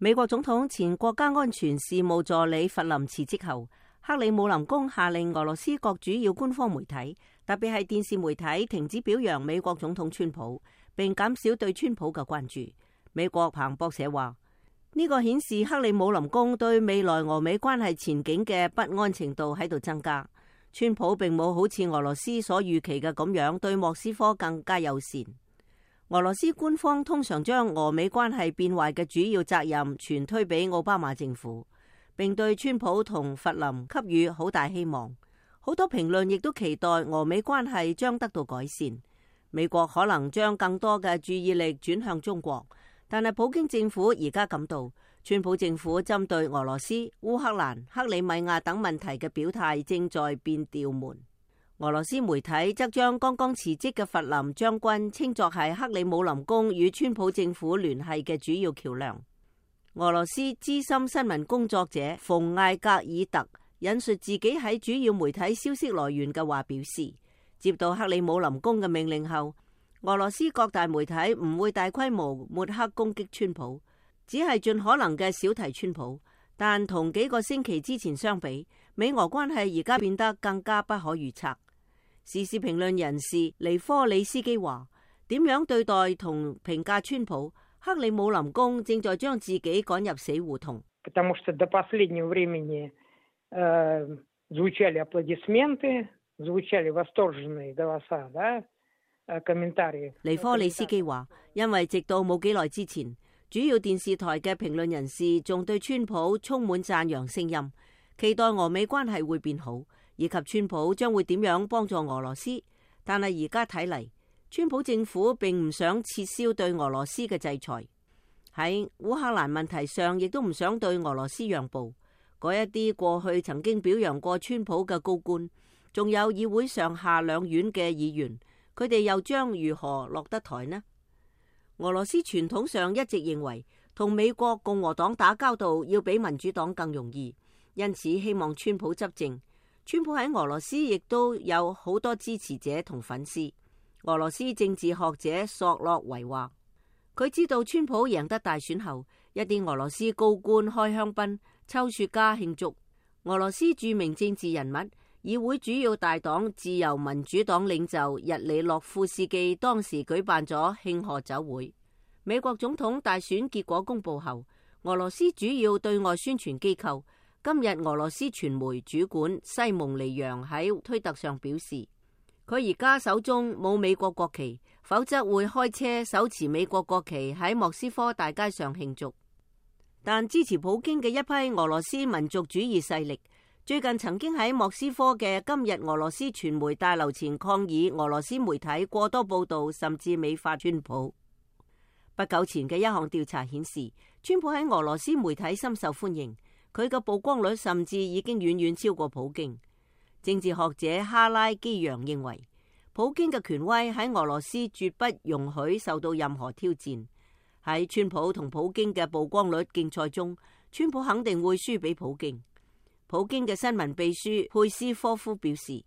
美國總統前國家安全事務助理弗林辭職後，克里姆林宮下令俄羅斯各主要官方媒體，特別係電視媒體停止表揚美國總統川普，並減少對川普嘅關注。美國彭博社話，呢個顯示克里姆林宮對未來俄美關係前景嘅不安程度喺度增加。川普並冇好似俄羅斯所預期嘅咁樣對莫斯科更加友善。俄羅斯官方通常將俄美關係變壞嘅主要責任全推俾奧巴馬政府，並對川普同弗林給予好大希望。好多評論亦都期待俄美關係將得到改善。美國可能將更多嘅注意力轉向中國，但係普京政府而家感到川普政府針對俄羅斯、烏克蘭、克里米亞等問題嘅表態正在變調門。俄羅斯媒體則將剛剛辭職嘅弗林將軍稱作係克里姆林宮與川普政府聯繫嘅主要橋樑。俄羅斯資深新聞工作者馮艾格爾特引述自己喺主要媒體消息來源嘅話表示，接到克里姆林宮嘅命令後，俄羅斯各大媒體唔會大規模抹黑攻擊川普，只係盡可能嘅少提川普。但同幾個星期之前相比，美俄關係而家變得更加不可預測。時事評論人士尼科里斯基話，點樣對待同評價川普，克里姆林宮正在將自己趕入死胡同。尼科里斯基話，因為直到冇幾耐之前，主要電視台嘅評論人士仲對川普充滿讚揚聲音，期待俄美關係會變好，以及川普將會點樣幫助俄羅斯。但係而家睇嚟，川普政府並唔想撤銷對俄羅斯嘅制裁，喺烏克蘭問題上亦都唔想對俄羅斯讓步。嗰一啲過去曾經表揚過川普嘅高官，仲有議會上下兩院嘅議員，佢哋又將如何落得台呢？俄羅斯傳統上一直認為同美國共和黨打交道要比民主黨更容易，因此希望川普執政。川普喺俄羅斯亦都有好多支持者同粉絲。俄羅斯政治學者索洛維話，佢知道川普贏得大選後，一啲俄羅斯高官開香檳、抽雪茄慶祝。俄羅斯著名政治人物、議會主要大黨自由民主黨領袖日里諾夫斯基當時舉辦咗慶賀酒會。美國總統大選結果公布後，俄羅斯主要對外宣傳機構今日俄羅斯傳媒主管西蒙尼揚喺推特上表示，佢而家手中冇美國國旗，否則會開車手持美國國旗喺莫斯科大街上慶祝。但支持普京嘅一批俄羅斯民族主義勢力最近曾經喺莫斯科嘅今日俄羅斯傳媒大樓前抗議俄羅斯媒體過多報道，甚至美化川普。不久前嘅一項調查顯示，川普喺俄羅斯媒體深受歡迎，佢嘅曝光率甚至已經遠遠超過普京。政治學者哈拉基揚認為，普京嘅權威喺俄羅斯絕不容許受到任何挑戰。喺川普同普京嘅曝光率競賽中，川普肯定會輸俾普京。普京嘅新聞秘書佩斯科夫表示，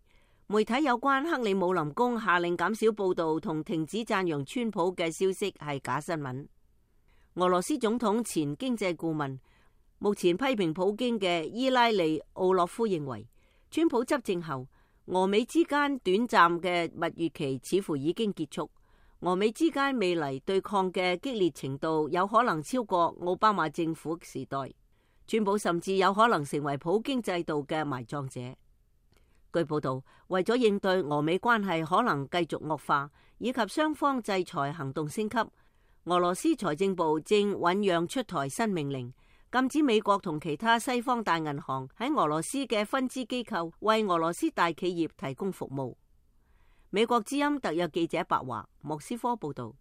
媒體有關克里姆林宮下令減少報道同停止讚揚川普嘅消息係假新聞。俄羅斯總統前經濟顧問、目前批評普京嘅伊拉利奧洛夫認為，川普執政後，俄美之間短暫嘅蜜月期似乎已經結束。俄美之間未來對抗嘅激烈程度有可能超過奧巴馬政府時代。川普甚至有可能成為普京制度嘅埋葬者。據報道，為咗應對俄美關係可能繼續惡化，以及雙方制裁行動升級，俄羅斯財政部正醞釀出台新命令，禁止美國同其他西方大銀行喺俄羅斯嘅分支機構為俄羅斯大企業提供服務。美國之音特約記者白華，莫斯科報道。